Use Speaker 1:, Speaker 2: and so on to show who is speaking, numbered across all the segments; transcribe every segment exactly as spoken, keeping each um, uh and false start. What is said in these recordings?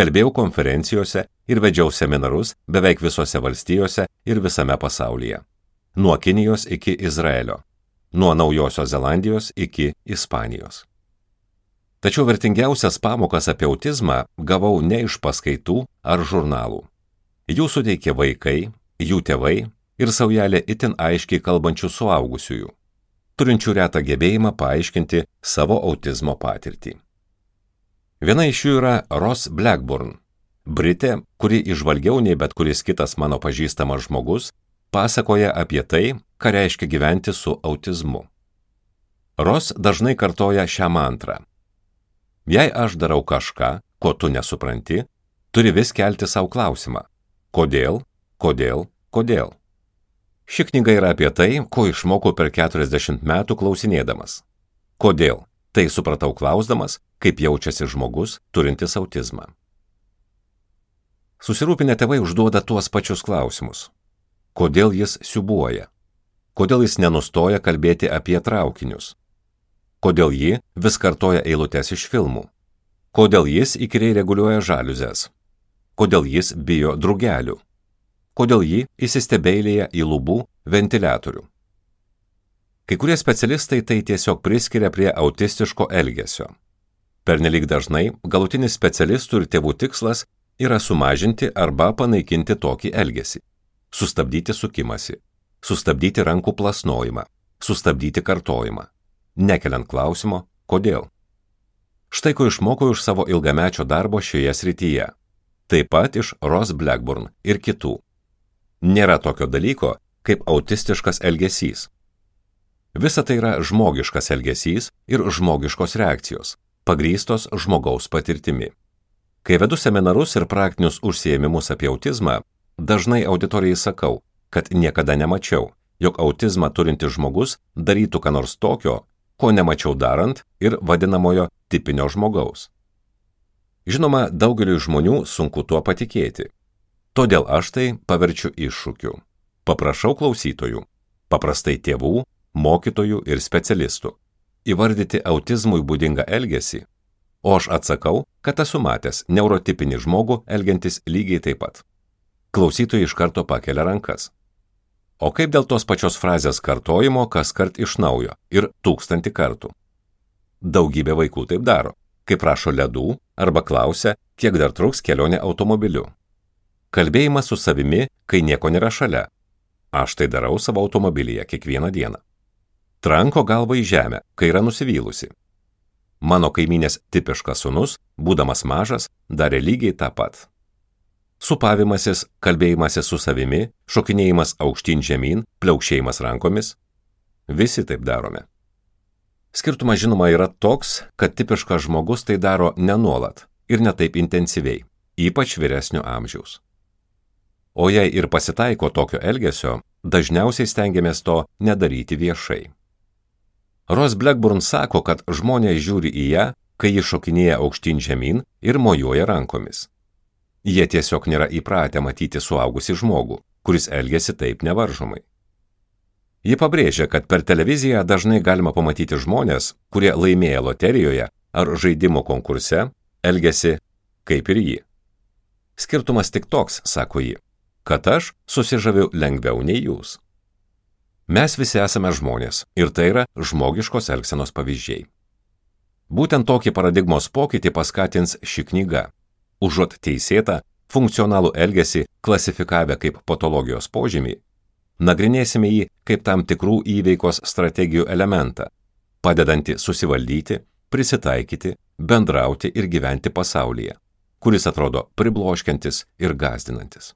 Speaker 1: kalbėjau konferencijose ir vedžiau seminarus beveik visose valstijose ir visame pasaulyje. Nuo Kinijos iki Izraelio, nuo Naujosios Zelandijos iki Ispanijos. Tačiau vertingiausias pamokas apie autizmą gavau ne iš paskaitų ar žurnalų. Jų suteikė vaikai, jų tėvai ir saujelė itin aiškiai kalbančių suaugusiųjų, turinčių retą gebėjimą paaiškinti savo autizmo patirtį. Viena iš jų yra Ross Blackburn, Britė, kuri įžvalgiau nei bet kuris kitas mano pažįstamas žmogus, pasakoja apie tai, ką reiškia gyventi su autizmu. Ross dažnai kartoja šią mantrą. Jei aš darau kažką, ko tu nesupranti, turi vis kelti savo klausimą. Kodėl, kodėl, kodėl? Ši knyga yra apie tai, ko išmokau per keturiasdešimt metų klausinėdamas. Kodėl? Tai supratau klausdamas, kaip jaučiasi žmogus turintis autizmą. Susirūpinę tėvai užduoda tuos pačius klausimus. Kodėl jis siūbuoja? Kodėl jis nenustoja kalbėti apie traukinius? Kodėl ji vis kartoja eilutes iš filmų? Kodėl jis įkyriai reguliuoja žaliuzes? Kodėl jis bijo drugelių? Kodėl ji įsistebeilėja į lubų ventiliatorių? Kai kurie specialistai tai tiesiog priskiria prie autistiško elgesio. Pernelyg dažnai galutinis specialistų ir tėvų tikslas yra sumažinti arba panaikinti tokį elgesį. Sustabdyti sukimąsi, sustabdyti rankų plasnojimą, sustabdyti kartojimą, nekeliant klausimo, kodėl. Štai ko išmokau iš savo ilgamečio darbo šioje srityje. Taip pat iš Ross Blackburn ir kitų. Nėra tokio dalyko, kaip autistiškas elgesys. Visa tai yra žmogiškas elgesys ir žmogiškos reakcijos, pagrįstos žmogaus patirtimi. Kai vedu seminarus ir praktinius užsiėmimus apie autizmą, dažnai auditorijai sakau, kad niekada nemačiau, jog autizmą turintis žmogus darytų ką nors tokio, ko nemačiau darant ir vadinamojo tipinio žmogaus. Žinoma, daugeliui žmonių sunku tuo patikėti. Todėl aš tai paverčiu iššūkiu. Paprašau klausytojų, paprastai tėvų, mokytojų ir specialistų, įvardyti autizmui būdingą elgesį, o aš atsakau, kad esu matęs neurotipinį žmogų elgiantis lygiai taip pat. Klausytojai iš karto pakelia rankas. O kaip dėl tos pačios frazės kartojimo kas kart iš naujo ir tūkstantį kartų? Daugybė vaikų taip daro, kai prašo ledų arba klausia, kiek dar truks kelionė automobiliu. Kalbėjimas su savimi, kai nieko nėra šalia. Aš tai darau savo automobilyje kiekvieną dieną. Tranko galvą į žemę, kai yra nusivylusi. Mano kaimynės tipiškas sūnus, būdamas mažas, darė lygiai tą pat. Supavimasis, kalbėjimasis su savimi, šokinėjimas aukštyn žemyn, pliaukšėjimas rankomis. Visi taip darome. Skirtumas žinoma yra toks, kad tipiškas žmogus tai daro nenuolat ir ne taip intensyviai, ypač vyresnio amžiaus. O jei ir pasitaiko tokio elgesio, dažniausiai stengiamės to nedaryti viešai. Ross Blackburn sako, kad žmonės žiūri į ją, kai ji šokinėja aukštyn žemyn ir mojuoja rankomis. Jie tiesiog nėra įpratę matyti suaugusį žmogų, kuris elgiasi taip nevaržomai. Ji pabrėžia, kad per televiziją dažnai galima pamatyti žmonės, kurie laimėję loterijoje ar žaidimo konkurse, elgiasi kaip ir ji. Skirtumas tik toks, sako ji, kad aš susižaviu lengviau nei jūs. Mes visi esame žmonės ir tai yra žmogiškos elgsenos pavyzdžiai. Būtent tokį paradigmos pokytį paskatins ši knyga. Užuot teisėtą, funkcionalų elgesį klasifikavę kaip patologijos požymį, nagrinėsime jį kaip tam tikrų įveikos strategijų elementą, padedantį susivaldyti, prisitaikyti, bendrauti ir gyventi pasaulyje, kuris atrodo pribloškiantis ir gąsdinantis.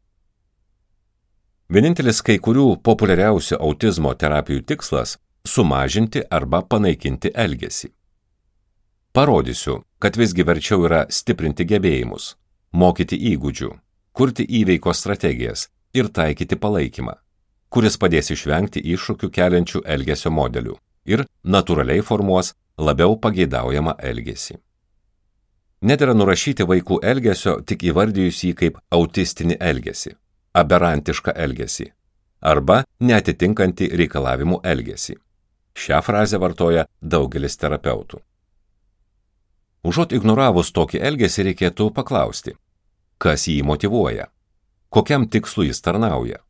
Speaker 1: Vienintelis kai kurių populiariausių autizmo terapijų tikslas – sumažinti arba panaikinti elgesį. Parodysiu, kad visgi verčiau yra stiprinti gebėjimus, mokyti įgūdžių, kurti įveikos strategijas ir taikyti palaikymą, kuris padės išvengti iššūkių keliančių elgesio modelių ir natūraliai formuos labiau pageidaujamą elgesį. Nedera nurašyti vaikų elgesio tik įvardijus jį kaip autistinį elgesį, aberantišką elgesį arba neatitinkantį reikalavimų elgesį. Šią frazę vartoja daugelis terapeutų. Užuot ignoravus tokį elgesį reikėtų paklausti, Kas jį motyvuoja? Kokiam tikslui jis tarnauja?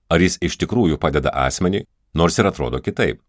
Speaker 1: Ar jis iš tikrųjų padeda asmeniui, nors ir atrodo kitaip?